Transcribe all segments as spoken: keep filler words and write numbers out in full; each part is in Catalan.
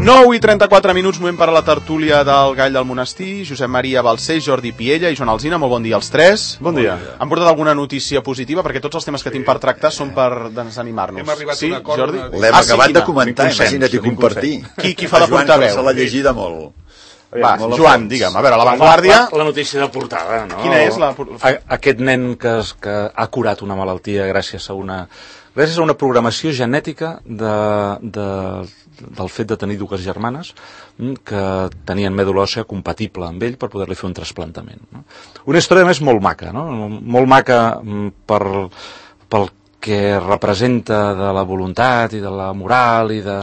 nou i trenta-quatre minuts, moment per a la tertúlia del Gall del Monestir. Josep Maria Balcells, Jordi Piella i Joan Alsina, molt bon dia als tres. Bon dia. Han portat alguna notícia positiva? Perquè tots els temes que tinc per tractar són per desanimar-nos. Hem arribat sí, a un acord. Jordi? L'hem ah, acabat sí, de comentar, imagina't i compartir. Qui, qui fa de portaveu? Se l'ha llegida molt. Va, Joan, digue'm, a veure, La Vanguardia... La, la notícia de portada, no? Quina és la... A, aquest nen que, es, que ha curat una malaltia gràcies a una... gràcies a una programació genètica de, de, del fet de tenir dues germanes que tenien mèdula òssea compatible amb ell per poder-li fer un trasplantament. No? Una història més molt maca, no? Molt maca per, pel que representa de la voluntat i de la moral i de,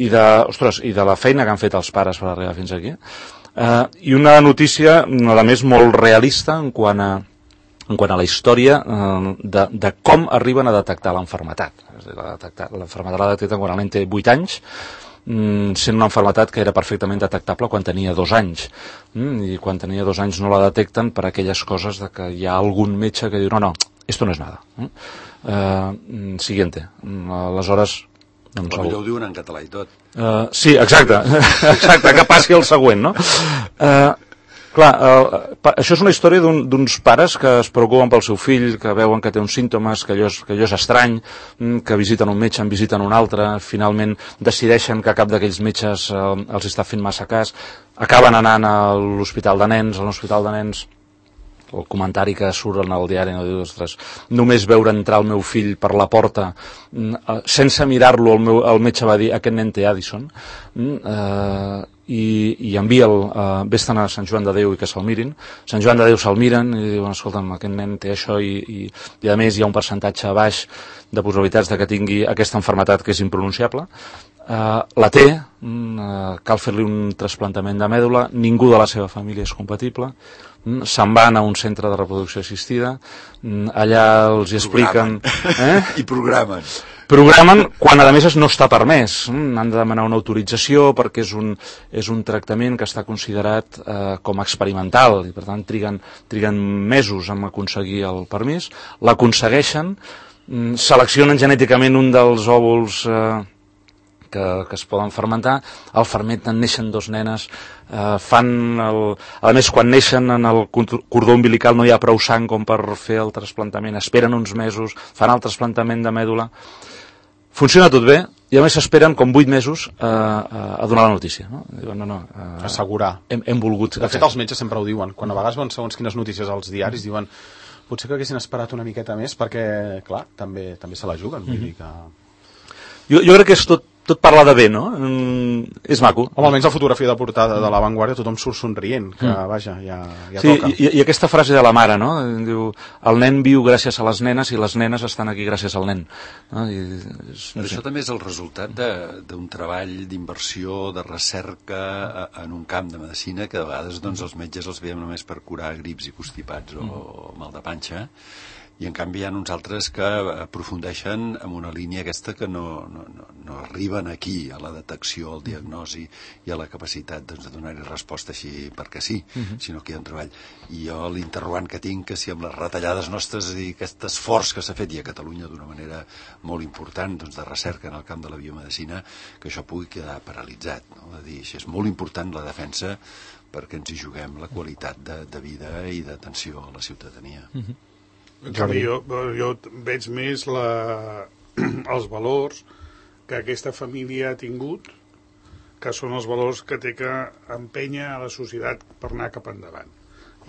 i de, ostres, i de la feina que han fet els pares per arribar fins aquí. Uh, I una notícia, a més, molt realista en quant a en quant a la història eh, de, de com arriben a detectar l'enfermetat. L'enfermetat la detecten quan el nen té vuit anys, mm, sent una enfermetat que era perfectament detectable quan tenia dos anys. Mm, I quan tenia dos anys no la detecten per aquelles coses de que hi ha algun metge que diu no, no, esto no es nada. Mm? Eh, siguiente. Aleshores... Doncs, potser ho diuen en català i tot. Uh, sí, exacte. Exacte, que passi el següent, no? Uh, Clar, eh, això és una història d'uns un, pares que es preocupen pel seu fill, que veuen que té uns símptomes, que allò és, que allò és estrany, que visiten un metge, en visiten un altre, finalment decideixen que cap d'aquells metges eh, els està fent massa cas, acaben anant a l'hospital de nens, a l'hospital de nens, el comentari que surt en el diari, no diu, ostres, només veure entrar el meu fill per la porta, sense mirar-lo, el, meu, el metge va dir, aquest nen té Addison, eh, i, i envia'l, eh, vés-te'n a Sant Joan de Déu i que se'l mirin. Sant Joan de Déu se'l miren i diuen, escolta'm, aquest nen té això i, i, i a més hi ha un percentatge baix de possibilitats de que tingui aquesta enfermetat que és impronunciable. Uh, la té, uh, cal fer-li un trasplantament de mèdula, ningú de la seva família és compatible, mm, se'n van a un centre de reproducció assistida, mm, allà els hi expliquen... Eh? I programen. Programen quan a més no està permès, mm, han de demanar una autorització perquè és un, és un tractament que està considerat eh, com a experimental i per tant triguen, triguen mesos en aconseguir el permís, l'aconsegueixen, mm, seleccionen genèticament un dels òvuls eh, Que, que es poden fermentar, el fermenten, neixen dos nenes, eh, fan el... a més quan neixen en el cordó umbilical no hi ha prou sang com per fer el trasplantament, esperen uns mesos, fan el trasplantament de mèdula, funciona tot bé i a més s'esperen com vuit mesos eh, a donar la notícia, no? Diuen, no, no, eh, assegurar. Hem, hem volgut... De fet els metges sempre ho diuen, quan a vegades van segons quines notícies als diaris diuen potser que haguessin esperat una miqueta més perquè, clar, també, també se la juguen, vull dir que... Jo, jo crec que és tot tot parla de bé, no? Mm, és maco. Home, almenys la fotografia de portada de La Vanguardia tothom surt somrient, que mm. vaja, ja, ja sí, toca. I, i aquesta frase de la mare, no? Diu, el nen viu gràcies a les nenes i les nenes estan aquí gràcies al nen. No? I, és, no sé. Això també és el resultat d'un treball d'inversió, de recerca en un camp de medicina que a vegades doncs, els metges els veiem només per curar grips i constipats o mm. mal de panxa, i en canvi hi ha uns altres que aprofundeixen en una línia aquesta que no, no, no, no arriben aquí a la detecció, al diagnosi i a la capacitat doncs, de donar-hi resposta així perquè sí, uh-huh. sinó que hi ha un treball. I jo l'interrogant que tinc que si amb les retallades nostres i aquest esforç que s'ha fet i a Catalunya d'una manera molt important doncs, de recerca en el camp de la biomedicina, que això pugui quedar paralitzat, no? De dir, és molt important la defensa perquè ens hi juguem la qualitat de, de vida i d'atenció a la ciutadania. Uh-huh. En canvi, jo, jo veig més la, els valors que aquesta família ha tingut, que són els valors que té que empènyer a la societat per anar cap endavant.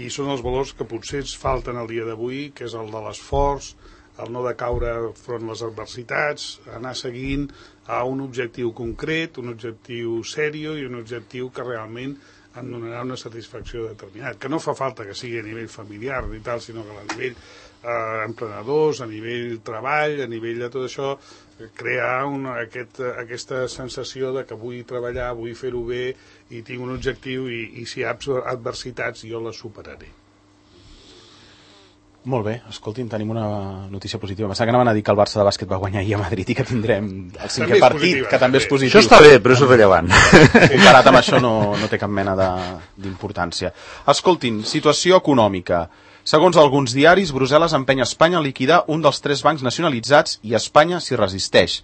I són els valors que potser ens falten el dia d'avui, que és el de l'esforç, el no de caure front a les adversitats, anar seguint a un objectiu concret, un objectiu sèrio i un objectiu que realment em donarà una satisfacció determinada. Que no fa falta que sigui a nivell familiar i tal, sinó que a nivell eh, emprenedors, a nivell treball, a nivell de tot això, crear una, aquest, aquesta sensació de que vull treballar, vull fer-ho bé i tinc un objectiu i, i si hi ha adversitats jo les superaré. Molt bé, escolti'm, tenim una notícia positiva. Pensava que anaven a dir que el Barça de bàsquet va guanyar ahir a Madrid i que tindrem el cinquè partit, positiva, que també és positiu. Això està bé, però és irrellevant. Comparat amb això no, no té cap mena d'importància. Escoltin, situació econòmica. Segons alguns diaris, Brussel·les empeny Espanya a liquidar un dels tres bancs nacionalitzats i Espanya s'hi resisteix.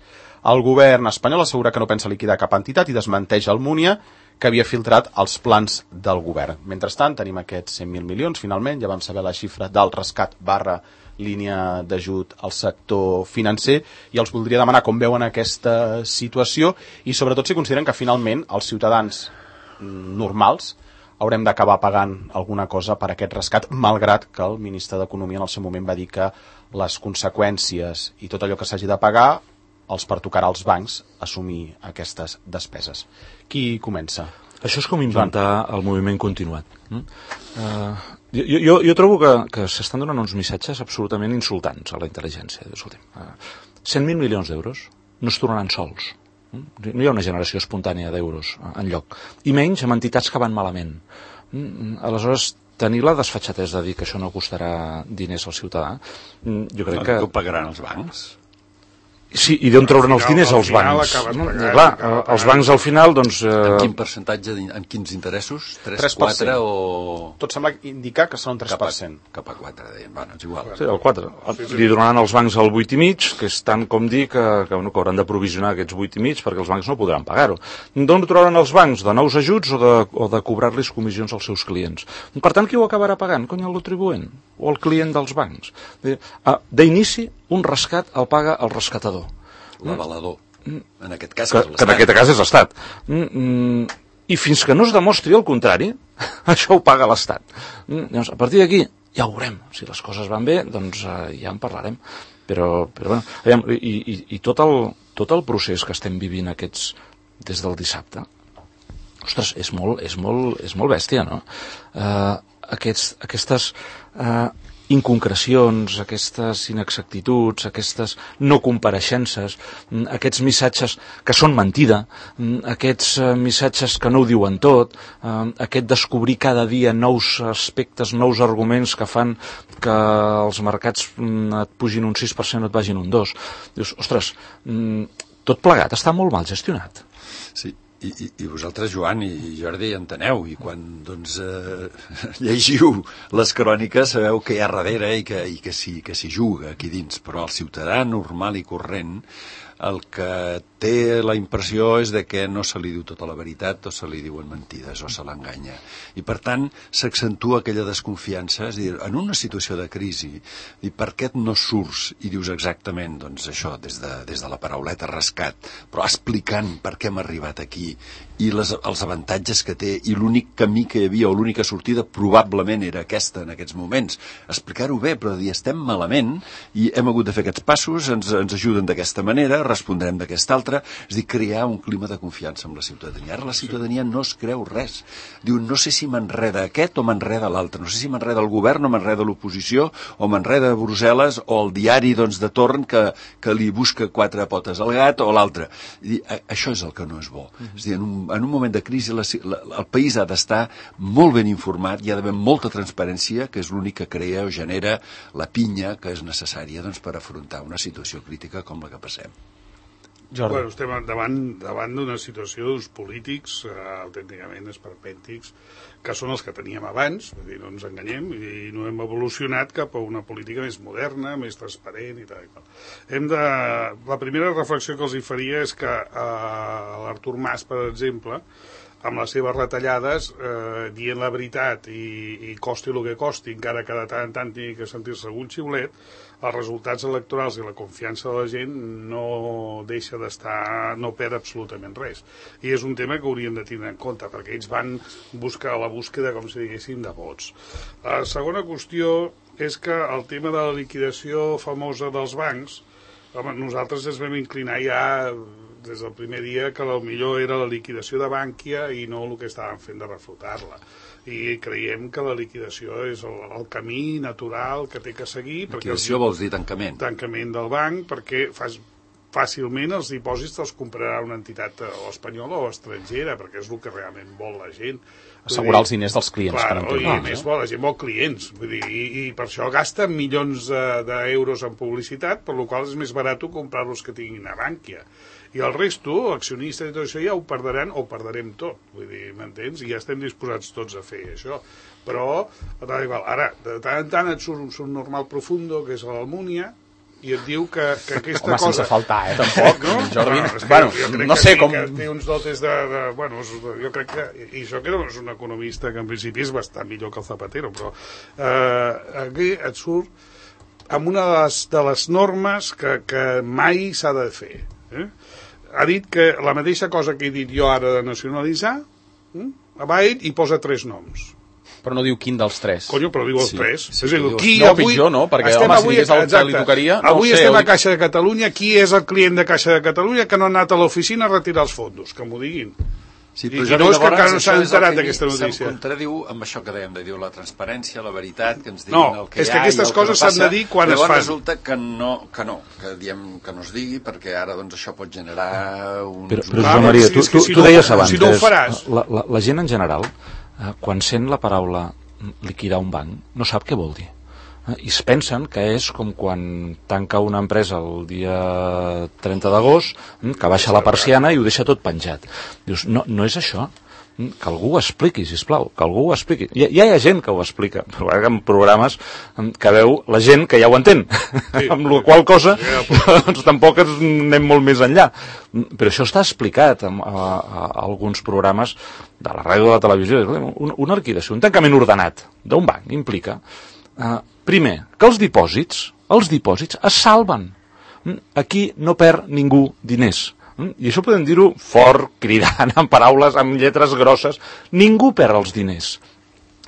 El govern espanyol assegura que no pensa liquidar cap entitat i desmenteix el Múnia, que havia filtrat els plans del govern. Mentrestant, tenim aquests cent mil milions, finalment, ja vam saber la xifra del rescat barra línia d'ajut al sector financer, i els voldria demanar com veuen aquesta situació i sobretot si consideren que finalment els ciutadans normals haurem d'acabar pagant alguna cosa per aquest rescat, malgrat que el ministre d'Economia en el seu moment va dir que les conseqüències i tot allò que s'hagi de pagar els pertocarà als bancs assumir aquestes despeses. Qui comença? Això és com inventar el moviment continuat. Uh, jo, jo, jo trobo que, que s'estan donant uns missatges absolutament insultants a la intel·ligència. Escolta'm, uh, cent mil milions d'euros no es tornaran sols. No hi ha una generació espontània d'euros en lloc. I menys amb entitats que van malament. Aleshores, tenir la desfatxatesa de dir que això no costarà diners al ciutadà, jo crec que... No ho pagaran els bancs? Sí, i d'on trauran els diners els bancs? No? Clar, els bancs al final, doncs... Eh... En quin percentatge, en quins interessos? tres, quatre o... Tot sembla indicar que són un tres per cent. Cap a quatre, deien. Bueno, és igual. Sí, el quatre. Li donaran als bancs el vuit i mig, que és tant com dir que, que, bueno, que hauran de provisionar aquests vuit i mig perquè els bancs no podran pagar-ho. D'on trauran els bancs? De nous ajuts o de, o de cobrar-los comissions als seus clients? Per tant, qui ho acabarà pagant? Cony, el contribuent o el client dels bancs? D'inici, un rescat el paga el rescatador. L'avalador. En aquest cas que, és l'Estat. Que en aquest cas és l'Estat. Mm, mm, I fins que no es demostri el contrari, això ho paga l'Estat. Mm, llavors, a partir d'aquí, ja ho veurem. Si les coses van bé, doncs eh, ja en parlarem. Però, però bueno, aviam, i, i, i tot, el, tot el procés que estem vivint aquests des del dissabte, ostres, és molt, és molt, és molt bèstia, no? Eh, aquests, aquestes... Eh, inconcrecions, aquestes inexactituds, aquestes no compareixences, aquests missatges que són mentida, aquests missatges que no ho diuen tot, aquest descobrir cada dia nous aspectes, nous arguments que fan que els mercats et pugin un sis per cent o et vagin un dos. Dius, ostres, tot plegat està molt mal gestionat. Sí. I, i, i vosaltres, Joan i Jordi, enteneu, i quan doncs, eh, llegiu les cròniques sabeu que hi ha darrere i que, i que s'hi que s'hi juga aquí dins, però el ciutadà normal i corrent el que té la impressió és de que no se li diu tota la veritat o se li diuen mentides o se l'enganya. I per tant s'accentua aquella desconfiança, és a dir, en una situació de crisi, i per què no surts i dius exactament doncs això, des de, des de la parauleta rescat, però explicant per què hem arribat aquí i les, els avantatges que té i l'únic camí que hi havia o l'única sortida probablement era aquesta en aquests moments. Explicar-ho bé, però dir estem malament i hem hagut de fer aquests passos, ens, ens ajuden d'aquesta manera, respondrem d'aquesta altra, és dir, crear un clima de confiança amb la ciutadania. Ara la ciutadania no es creu res. Diu, no sé si m'enreda aquest o m'enreda l'altre, no sé si m'enreda el govern o m'enreda l'oposició o m'enreda Brussel·les o el diari doncs, de torn que, que li busca quatre potes al gat o l'altre. Això és el que no és bo. Mm-hmm. És dir, en un, en un moment de crisi la, la, el país ha d'estar molt ben informat, hi ha d'haver molta transparència, que és l'únic que crea o genera la pinya que és necessària doncs, per afrontar una situació crítica com la que passem. Jordi. Bueno, estem davant, davant d'una situació d'uns polítics eh, autènticament esperpèntics que són els que teníem abans, vull dir, no ens enganyem, i no hem evolucionat cap a una política més moderna, més transparent i tal i tal. Hem de... La primera reflexió que els hi faria és que eh, l'Artur Mas, per exemple, amb les seves retallades, eh, dient la veritat i, i costi el que costi, encara que de tant en tant tingui que sentir-se algun xiulet, els resultats electorals i la confiança de la gent no deixa d'estar, no perd absolutament res. I és un tema que hauríem de tenir en compte, perquè ells van buscar la búsqueda, com si diguéssim, de vots. La segona qüestió és que el tema de la liquidació famosa dels bancs, home, nosaltres ens vam inclinar ja des del primer dia que el millor era la liquidació de Bankia i no el que estàvem fent de reflotar-la. I creiem que la liquidació és el, el camí natural que té que seguir. Liquidació vols dir tancament? Tancament del banc, perquè fas, fàcilment els dipòsits te'ls comprarà una entitat o espanyola o estrangera, perquè és el que realment vol la gent. Assegurar els diners dels clients. Clar, i a més vol, la gent vol clients, vull dir, i, i per això gasta milions d'euros en publicitat, per la qual és més barat comprar-los que tinguin a Bankia. I el resto, accionistes i tot això, ja ho perdran o ho perderem tot, vull dir, m'entens? I ja estem disposats tots a fer això. Però, ara, de tant en tant et surt un subnormal profundo, que és l'Almúnia, i et diu que, que aquesta Home, cosa... sense faltar, eh, tampoc, no? Jordi. Bueno, Bueno, jo crec no que sé sí, com... que té uns dotes de... de bueno, jo crec que... I això que és un economista que en principi és bastant millor que el Zapatero, però eh, aquí et surt amb una de les, de les normes que, que mai s'ha de fer. Eh? Ha dit que la mateixa cosa que he dit jo ara de nacionalitzar, eh? va ell i posa tres noms. Però no diu quin dels tres. Conyo, però diu els Sí, tres. sí, és a dir, diu- qui no, avui... pitjor, no? Perquè, estem home, si avui- digués el que exacte. li tocaria, no avui ho sé, estem o a Caixa de Catalunya. Qui és el client de Caixa de Catalunya que no ha anat a l'oficina a retirar els fondos? Que m'ho diguin. Sí, I- però i Jordi, no és que llavors, encara no això s'han és el enterat que d'aquesta se'm notícia. contradiu amb això que dèiem, de dir la transparència, la veritat, que ens diguin No, el que és hi que ha aquestes i el que coses no s'han de passa. dir quan es Llavors fan. resulta que no, que no, que diem que no es digui, perquè ara doncs, això pot generar uns... Però, però Clar, Josep Maria, si tu, és que tu, si tu no- deies abans, si no ho faràs. la, la, la gent en general, eh, quan sent la paraula liquidar un banc, no sap què vol dir. Eh, I es pensen que és com quan tanca una empresa el dia trenta d'agost, eh, que baixa la persiana i ho deixa tot penjat. Dius, no, no és això. Que algú ho expliqui, sisplau, que algú ho expliqui. Ja, ja hi ha gent que ho explica, però en programes que veu la gent que ja ho entén, sí. amb la qual cosa doncs tampoc anem molt més enllà. Però això està explicat en, a, a, a alguns programes de la ràdio de la televisió. Una, una liquidació, un tancament ordenat d'un banc implica, eh, primer, que els dipòsits, els dipòsits es salven. Aquí no perd ningú diners. I això podem dir-ho fort, cridant, amb paraules, amb lletres grosses. Ningú perd els diners.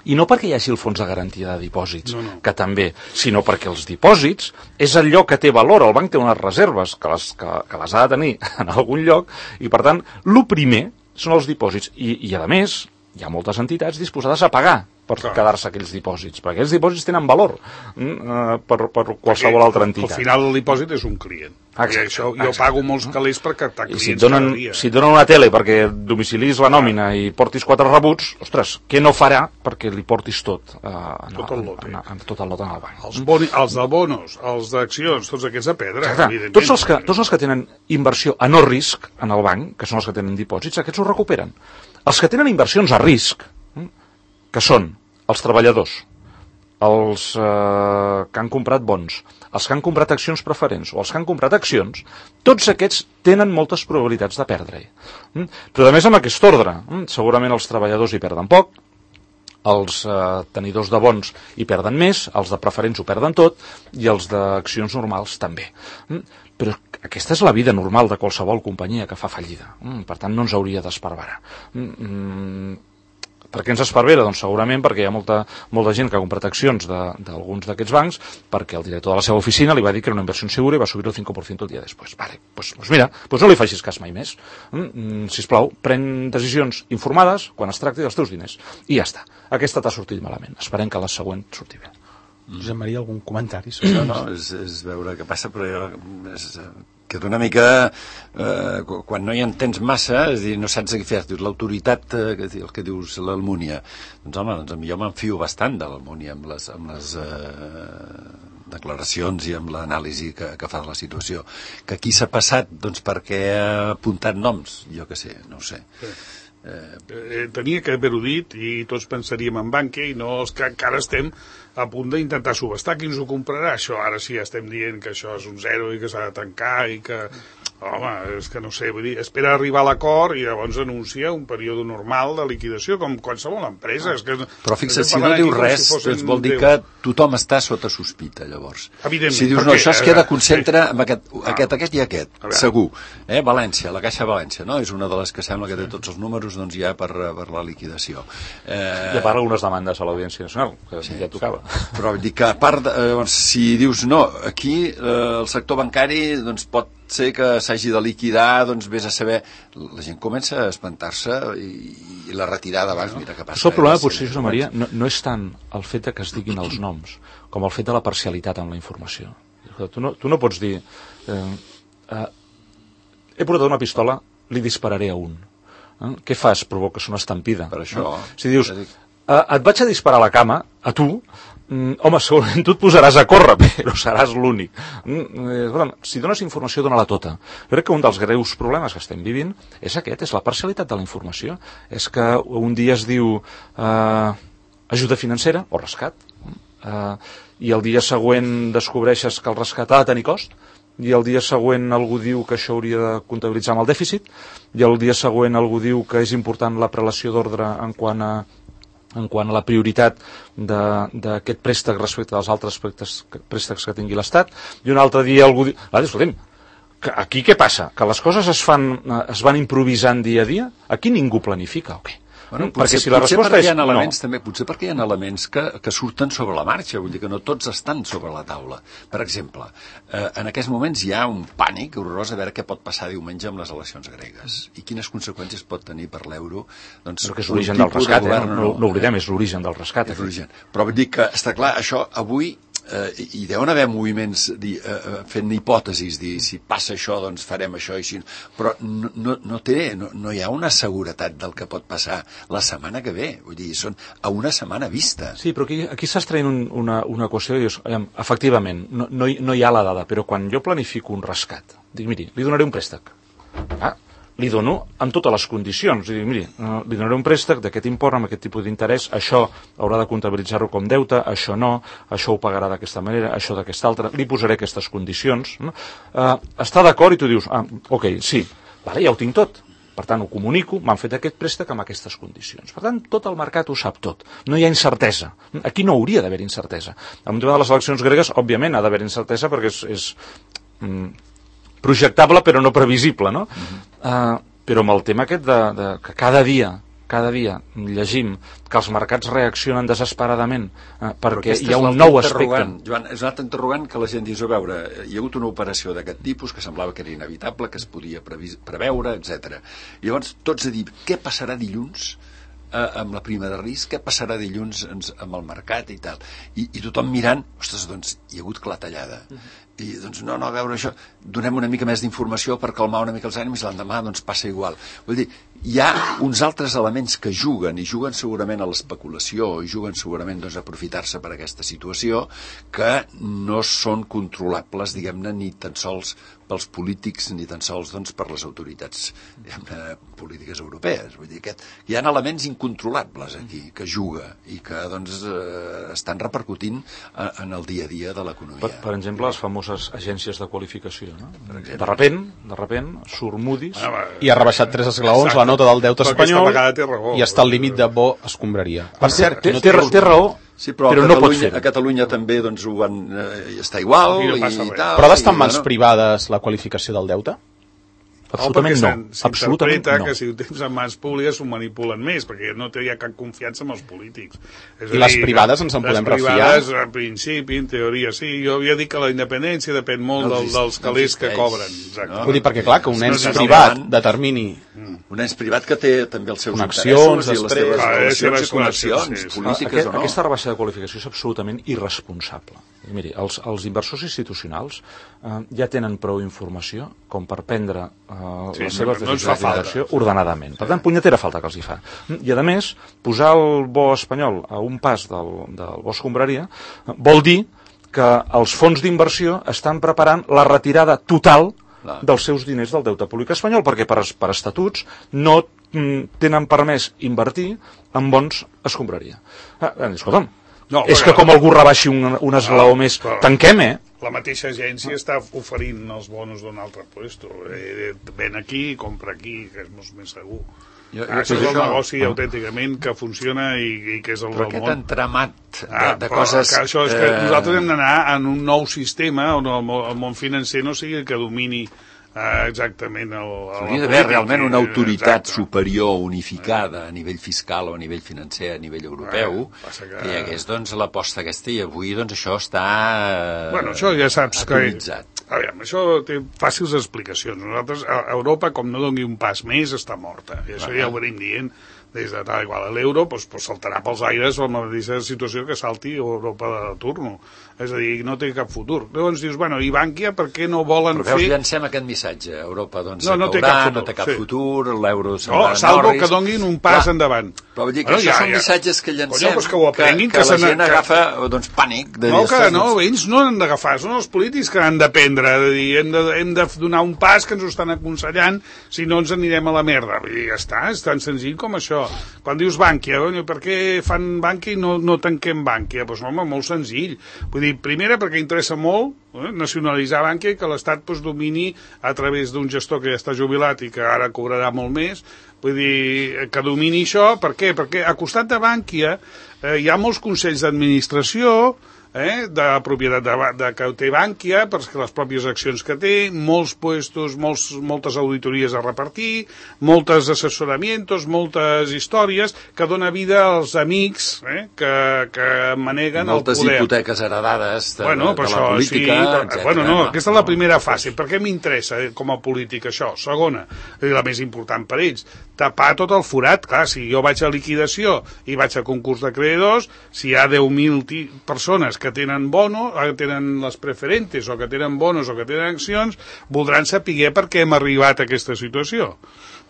I no perquè hi hagi el fons de garantia de dipòsits, no, no. que també, sinó perquè els dipòsits és allò que té valor. El banc té unes reserves que les, que, que les ha de tenir en algun lloc i, per tant, el primer són els dipòsits. I, i a més, hi ha moltes entitats disposades a pagar per Clar. quedar-se aquells dipòsits, perquè aquells dipòsits tenen valor mm, per, per qualsevol Perquè altra entitat. Al final el dipòsit és un client. Exacte, I això jo exacte. pago molts calés per captar I clients si et, donen, cada dia. si et donen una tele perquè domicilis la nòmina i portis quatre rebuts, ostres, què no farà perquè li portis tot, eh, en, Tot el lote. en, en, en, tot el lot en el banc? Els, boni, els de bonos, els d'accions, tots aquests a pedra, Exacte. evidentment. Tots els, que, tots els que tenen inversió a no risc en el banc, que són els que tenen dipòsits, aquests ho recuperen. Els que tenen inversions a risc, que són els treballadors, els eh, que han comprat bons, els que han comprat accions preferents o els que han comprat accions, tots aquests tenen moltes probabilitats de perdre-hi. Mm? Però a més amb aquest ordre, mm? segurament els treballadors hi perden poc, els eh, tenidors de bons hi perden més, els de preferents ho perden tot i els d'accions normals també. Mm? Però aquesta és la vida normal de qualsevol companyia que fa fallida. Mm? Per tant, no ens hauria d'esparverar. Mm? Per què ens esparvera? Doncs segurament perquè hi ha molta, molta gent que ha comprat accions d'alguns d'aquests bancs perquè el director de la seva oficina li va dir que era una inversió segura i va subir el cinc per cent el dia després. Vale, doncs, doncs mira, doncs no li facis cas mai més. Mm, sisplau, pren decisions informades quan es tracti dels teus diners. I ja està. Aquesta t'ha sortit malament. Esperem que la següent surti bé. Josep Maria, algun comentari sobre No, no, és, és veure què passa, però jo, és, queda una mica... Eh, quan no hi entens massa, és dir, no saps què fer. L'autoritat, eh, el que dius, l'Almúnia. Doncs home, doncs, jo m'enfio bastant de l'Almúnia amb les, amb les eh, declaracions i amb l'anàlisi que, que fa de la situació. Que aquí s'ha passat, doncs perquè ha apuntat noms, jo què sé, no ho sé. Sí. Eh, tenia que haver-ho dit i tots pensaríem en banca i no els que encara estem a punt d'intentar subestar qui ens ho comprarà. Això ara sí estem dient que això és un zero i que s'ha de tancar i que... Home, és que no sé, vull dir, espera arribar a l'acord i llavors anuncia un període normal de liquidació, com qualsevol empresa. És que, però fixa't, si no diu res, si doncs vol dir que tothom està sota sospita, llavors. Evidentment. Si dius, perquè, no, això es queda concentra sí. amb aquest, aquest, aquest i aquest, segur. Eh? València, la Caixa València, no? És una de les que sembla que té tots els números doncs, ja per, per la liquidació. Eh... I a part algunes demandes a l'Audiència Nacional, que sí. ja tocava. Però vull dir que a part, de, eh, si dius, no, aquí eh, el sector bancari doncs, pot ser que s'hagi de liquidar, doncs vés a saber... La gent comença a espantar-se i, i la retirada abans, mira què passa. El problema, potser, Josep Maria, no, no és tant el fet que es diguin els noms, com el fet de la parcialitat en la informació. Tu no, tu no pots dir... Eh, eh, he portat una pistola, li dispararé a un. Eh? Què fas? Provoques una estampida. Per això... Eh? Si dius, eh, et vaig a disparar a la cama, a tu... Mm, home, segurament tu et posaràs a córrer, però seràs l'únic. Mm, eh, si dones informació, dona-la tota. Jo crec que un dels greus problemes que estem vivint és aquest, és la parcialitat de la informació. És que un dia es diu eh, ajuda financera o rescat, eh, i el dia següent descobreixes que el rescat ha de tenir cost, i el dia següent algú diu que això hauria de comptabilitzar amb el dèficit, i el dia següent algú diu que és important la prelació d'ordre en quant a en quant a la prioritat d'aquest préstec respecte als altres préstecs, préstecs que tingui l'Estat, i un altre dia algú diu... Ah, escolta'm, aquí què passa? Que les coses es, fan, es van improvisant dia a dia? Aquí ningú planifica o què? Bueno, Mm, potser, perquè si la potser resposta perquè hi ha és elements, no. també, potser perquè hi ha elements que, que surten sobre la marxa, vull dir que no tots estan sobre la taula. Per exemple, eh, en aquests moments hi ha un pànic horrorós a veure què pot passar diumenge amb les eleccions gregues i quines conseqüències pot tenir per l'euro. Doncs, Però que és l'origen del rescat, eh? no, no, no oblidem, és l'origen del rescat. És l'origen. Però vull dir que, està clar, això avui eh, hi deuen haver moviments di, eh, fent hipòtesis, dir si passa això doncs farem això i així, però no, no, no té, no, no hi ha una seguretat del que pot passar la setmana que ve, vull dir, són a una setmana vista. Sí, però aquí, aquí s'està traient un, una, una qüestió i dius, efectivament, no, no, hi, no hi ha la dada, però quan jo planifico un rescat, dic, miri, li donaré un préstec. Ah, li dono amb totes les condicions. I dic, miri, li donaré un préstec d'aquest import, amb aquest tipus d'interès, això haurà de comptabilitzar-ho com deute, això no, això ho pagarà d'aquesta manera, això d'aquesta altra, li posaré aquestes condicions. No? Uh, està d'acord i tu dius, ah, ok, sí, vale, ja ho tinc tot. Per tant, ho comunico, m'han fet aquest préstec amb aquestes condicions. Per tant, tot el mercat ho sap tot. No hi ha incertesa. Aquí no hauria d'haver incertesa. En el tema de les eleccions gregues, òbviament, ha d'haver incertesa perquè és... és mm, projectable però no previsible, no? Uh-huh. Uh, però amb el tema aquest de, de que cada dia cada dia llegim que els mercats reaccionen desesperadament eh, perquè hi ha un nou aspecte. Joan, és un altre interrogant que la gent dius, a veure, hi ha hagut una operació d'aquest tipus que semblava que era inevitable, que es podia previs, preveure, etcètera. I llavors tots a dir, què passarà dilluns eh, amb la prima de risc, què passarà dilluns amb el mercat i tal. I, i tothom mirant, ostres, doncs hi ha hagut clatellada. Uh-huh. I doncs no, no, a veure això, donem una mica més d'informació per calmar una mica els ànims i l'endemà doncs passa igual. Vull dir, hi ha uns altres elements que juguen i juguen segurament a l'especulació i juguen segurament doncs, a aprofitar-se per aquesta situació que no són controlables, diguem-ne, ni tan sols pels polítics ni tan sols doncs, per les autoritats diguem-ne, polítiques europees. Vull dir, aquest, hi ha elements incontrolables aquí que juga i que doncs, eh, estan repercutint en el dia a dia de l'economia. Per, per exemple, les famoses agències de qualificació. No? De repent, de repent, surt Moody's... Ah, i ha rebaixat tres esglaons la nota del deute espanyol raó, i està al límit de bo escombraria. Per cert, té, no té, té, té raó, sí, però, però a no pot Catalunya, fer. a Catalunya també doncs, ho van eh, està igual no i, i tal. Però ha d'estar en i, mans bueno, privades la qualificació del deute? Absolutament no. Absolutament S'interpreta no. que si ho tens en mans públiques s'ho manipulen més, perquè no hi ha cap confiança en els polítics. És I les privades ens en podem refiar? Les privades, en principi, en teoria, sí. Jo havia dit que la independència depèn molt no del, dels calés que cobren. Exacte. No? Vull dir, perquè clar, que un No, ens no, no, privat no. determini... un ens privat que té també els seus Connexions, interessos i les després. seves Ah, relacions les i connexions connexions, sí. polítiques Aquest, o no. aquesta rebaixa de qualificació és absolutament irresponsable. I miri, els, els inversors institucionals eh, ja tenen prou informació com per prendre eh, Sí, les seves no- no ens fa decisions d'inversió ordenadament. Per tant, punyetera falta que els hi fa. I, a més, posar el bo espanyol a un pas del, del bo escombraria eh, vol dir que els fons d'inversió estan preparant la retirada total Clar. dels seus diners del deute públic espanyol, perquè per, per estatuts no mm, tenen permès invertir en bons escombraria. Ah, escolta'm, No, és perquè- que com algú rebaixi un, un esglaó més, però- tanquem, eh? La mateixa agència està oferint els bonos d'un altre puesto. Eh, ven aquí, compra aquí, que és molt més segur. Jo- jo Ah, això crec és el això- negoci autènticament que funciona i, i que és el Però del aquest món. entramat de, Ah, de però coses... que això és que eh, nosaltres hem d'anar en un nou sistema on el, mo- el món financer no sigui el que domini eh, exactament el, el Hauria d'haver realment una autoritat superior unificada a nivell fiscal o a nivell financer, a nivell europeu, Ah, passa que- que hi hagués doncs, l'aposta aquesta i avui doncs, això està eh, Bueno, això ja saps que... atomitzat. A veure, això té fàcils explicacions. Nosaltres, a Europa, com no doni un pas més, està morta. I això ja ho venim dient des de tal igual. L'euro pues, pues, saltarà pels aires amb la mateixa situació que salti Europa de turno. És a dir, no té cap futur. Llavors dius, bueno, i Bànquia per què no volen Però veus, fer... llancem aquest missatge. Europa doncs, No, no té caurà, cap futur, no té cap sí. futur, l'euro se'n No, va salvo Norris. que donguin un pas Clar, endavant. Però vull dir que Bueno, això ja, són ja. missatges que llancem, Coño, pues que ho aprenguin, que, que que la se gent n'ha- que- agafa doncs, pànic. De No, dir, que "Ostres, no, ells no han d'agafar, són els polítics que han de prendre, de dir, hem de, hem de donar un pas que ens ho estan aconsellant, si no ens anirem a la merda. Vull dir, ja està, és tan senzill com això. Quan dius Bànquia, coño, per què fan Bànquia i no, no tanquem Bànquia? Doncs, home, molt senzill. Vull dir, primera, perquè interessa molt eh, nacionalitzar Bànquia i que l'Estat pues, domini a través d'un gestor que ja està jubilat i que ara cobrarà molt més. Vull dir, que domini això, per què? Perquè a costat de Bànquia eh, hi ha molts consells d'administració, eh, de propietat de, de, que té Bànquia, perquè les pròpies accions que té, molts puestos, molts, moltes auditories a repartir, moltes assessoramientos, moltes històries que dona vida als amics eh, que, que maneguen moltes el poder. hipoteques heredades de, Bueno, de, però de això, la política, sí, però, etcètera. bueno, no, aquesta és la primera fase. Per què m'interessa eh, com a polític això? Segona, i la més important per ells, tapar tot el forat. Clar, si jo vaig a liquidació i vaig a concurs d'acreedors, si hi ha deu mil persones que tenen bono, que tenen les preferentes, o que tenen bonos, o que tenen accions, voldran saber per què hem arribat a aquesta situació.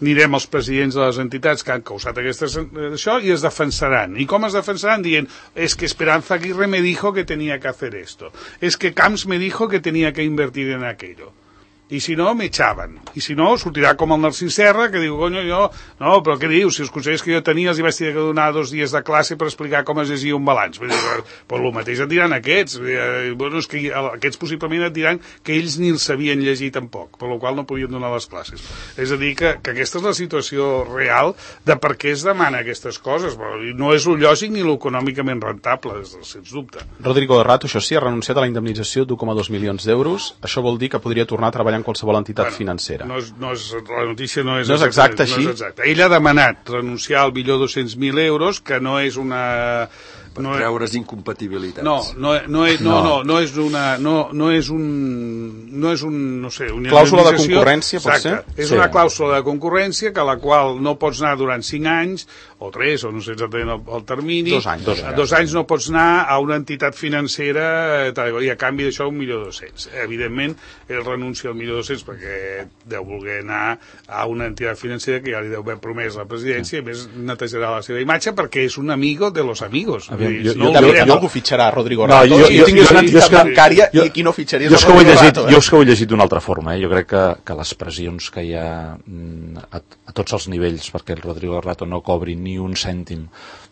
Anirem als presidents de les entitats que han causat aquesta, això i es defensaran. I com es defensaran? Dient, es que Esperanza Aguirre me dijo que tenía que hacer esto. Es que Camps me dijo que tenía que invertir en aquello. I si no, m'echaven. I si no, sortirà com el Narcís Serra, que diu, coño, jo... No, però què dius? Si els consellers que jo tenia els hi vaig tenir que donar dos dies de classe per explicar com es llegia un balanç. Vull dir, però el mateix et diran aquests. Bueno, és que aquests possiblement et diran que ells ni els sabien llegir tampoc, per la qual no podien donar les classes. És a dir, que, que aquesta és la situació real de per què es demana aquestes coses. Però no és lo lògic ni lo econòmicament rentable, sens dubte. Rodrigo de Rato, això sí, ha renunciat a la indemnització d'u coma dos milions d'euros. Això vol dir que podria tornar a treballar en qualsevol entitat Bueno, financera. No és, no és, la notícia no és, No és exacte, no així? és exacte. Ell ha demanat renunciar al millor dos-cents mil euros, que no és una... Per no, treure's incompatibilitats. no, no, no, és, no, no, no és una... No, no és un... No és un... No sé, una Clàusula de indemnització. concurrència, pot ser? Exacte. És Sí. una clàusula de concurrència que la qual no pots anar durant cinc anys, o tres, o no sé exactament el, el termini. Dos anys. Dos, dos anys no pots anar a una entitat financera eh, tal, i a canvi d'això un milió dos-cents. Evidentment, ell renuncia al milió dos-cents perquè deu voler anar a una entitat financera que ja li deu haver promès la presidència i a més netejarà la seva imatge perquè és un amigo de los amigos. Aviam, Vull dir, jo- no jo- oblidem- També algú fitxarà Rodrigo No, Rato. jo- si jo- tingués jo- una jo és entitat que- bancària jo- i qui no fitxaria Jo és és, que ho he Rodrigo llegit, Rato. jo Eh? és que ho he llegit d'una altra forma. Eh? Jo crec que, que les pressions que hi ha mm, a, a tots els nivells perquè el Rodrigo Rato no cobri ni un cèntim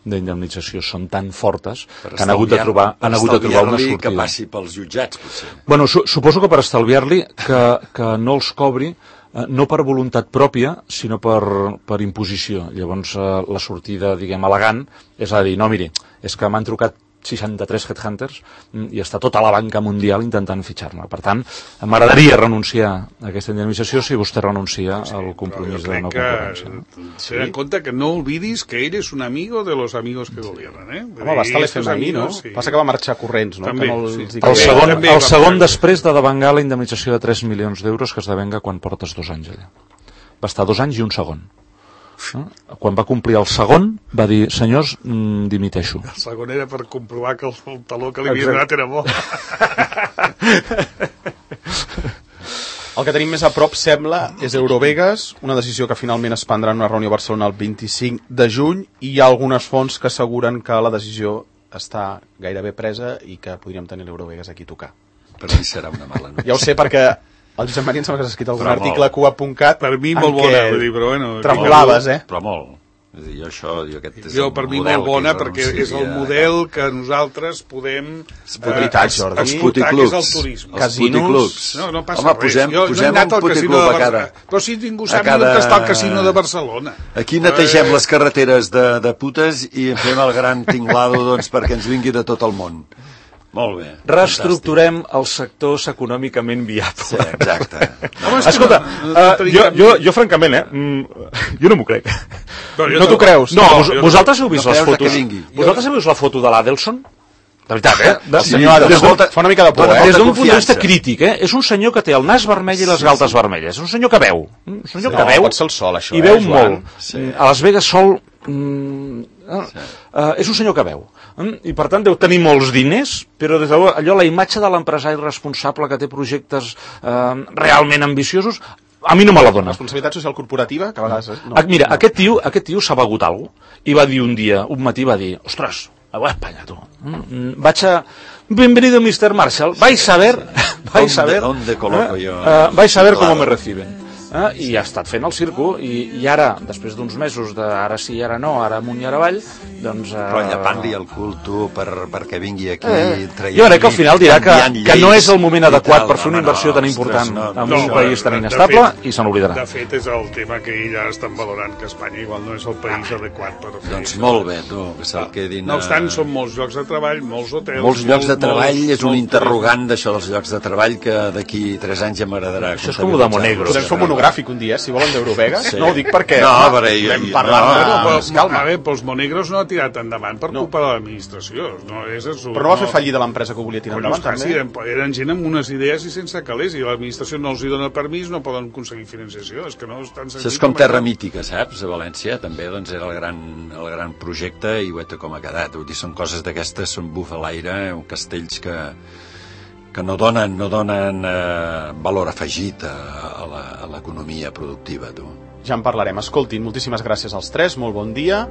d'indemnització són tan fortes Per que han hagut de trobar, han hagut de trobar una estalviar-li sortida. que passi pels jutjats, potser. Bueno, su suposo que per estalviar-li que, que no els cobri eh, no per voluntat pròpia, sinó per, per imposició. Llavors, eh, la sortida, diguem, elegant, és a dir, no, miri, és que m'han trucat seixanta-tres headhunters mm, i està tota la banca mundial intentant fitxar-me. Per tant, m'agradaria renunciar a aquesta indemnització si vostè renuncia al compromís de no concurrència. No? Sí. Ten en compte que no olvidis que ell és un amigo de los amigos que gobiernan. Eh? Home, va estar a l'F M I, no? Sí. Passa que va marxar corrents, no? També, que no sí. els hi El També, segon, també el va segon fer- després de devengar la indemnització de tres milions d'euros que es devenga quan portes dos anys allà. Va estar dos anys i un segon. No? Quan va complir el segon, va dir, senyors, mm, dimiteixo. El segon era per comprovar que el taló que li havia Exacte. donat era bo. El que tenim més a prop, sembla, és Eurovegas, una decisió que finalment es prendrà en una reunió a Barcelona el vint-i-cinc de juny, i hi ha algunes fonts que asseguren que la decisió està gairebé presa i que podríem tenir l'Eurovegas aquí a tocar. Per mi serà una mala notícia. Ja ho sé, perquè el Josep Maria em sembla que s'ha escrit algun Però article a molt. cua punt cat Per mi en molt què bona, vull dir, però bueno... tremolaves, eh? Però molt. És a dir, jo això, jo aquest és Jo, el per mi, model molt bona, que perquè renuncia és el a- model que nosaltres podem... Veritat, Jordi. Els explotar, que puticlubs. és el turisme. Els Casinos. puticlubs. No, no passa Home, res. posem, jo no he posem anat un al casino puticlub de a cada... Barcelona. Però si ningú a sap cada- ni on està el casino de Barcelona. Aquí netegem Eh, les carreteres de, de putes i en fem el gran tinglado doncs, perquè ens vingui de tot el món. Molt bé. Reestructurem els sectors econòmicament viables. Sí, exacte. Home, és que Escolta, no- no uh, tenim jo, cap- jo, jo francament, eh, mm, jo no m'ho crec. Però jo No t'ho tampoc. creus? No, No, vos, jo- vosaltres heu vist no les creus que fotos? vingui. Vosaltres heu vist la foto de l'Adelson? De veritat, eh? De, El senyor Adelson des d'un- fa una mica de por, dona eh? Des d'un molta punt de vista confiança. crític, eh? És un senyor que té el nas vermell i les galtes vermelles. És un senyor que veu. Un senyor No, que veu pot ser el sol, això, i eh, veu Joan? molt. Mm, A Las Vegas sol... Mm, uh, és un senyor que veu. Mm, I per tant deu tenir molts diners, però des d'allò allò la imatge de l'empresari responsable que té projectes uh, realment ambiciosos a mi no me la dona. Responsabilitat social corporativa, que a vegades... No, Ah, Mira, no. aquest tio, aquest tio s'ha begut alguna cosa i va dir un dia, un matí va dir, ostres, a Espanya, tu. Mm, vaig a... Bienvenido, mister Marshall. Vais a ver... Vais a ver... ¿Dónde coloco eh, yo? eh, vais a ver Claro. cómo me reciben. Eh? I ha estat fent el circo i, i ara, després d'uns mesos de ara sí, ara no, ara amunt i ara avall, doncs... Eh, Però llapant-li el cul, tu, per, perquè vingui aquí... Eh, traient- jo crec que al final dirà que, canviant que no lleis és el moment i adequat tal. per fer una Home, inversió no, tan important ostres, no, en no, un no, país tan de inestable fet- i se n'oblidarà. De fet, és el tema que ja estan valorant, que Espanya igual no és el país adequat per fer Doncs això. molt bé, tu, que se'l quedin... No obstant, a- són molts llocs de treball, molts hotels... Molts llocs de molt- treball, molts- és un molt interrogant d'això dels llocs de treball que d'aquí tres anys ja m'agradarà. Això és com lo de Monegro. Podem fer un monogràfic un dia, si volen, d'Eurovegas. Sí. No ho dic perquè... No, home, però jo- vam jo- parlar... no, de- Bueno, però, doncs calma. a veure, els Monegros no ha tirat endavant per No. culpa de l'administració. No, és absurd. Però no va fer fallida l'empresa que ho volia tirar Collons, endavant, clar, sí, també? eren, eren gent amb unes idees i sense calés, i l'administració no els hi dona permís, no poden aconseguir financiació. És que no és tan senzill. Això és com Terra això. Mítica, saps? A València també doncs, era el gran, el gran projecte i guaita com ha quedat. Vull dir, són coses d'aquestes, són buf a l'aire, castells que, que no donen, no donen eh, valor afegit a, a la- a l'economia productiva, tu. Ja en parlarem. Escoltin, moltíssimes gràcies als tres, molt bon dia,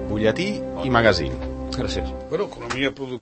butlletí i magazín. Gràcies. Bueno, economia productiva.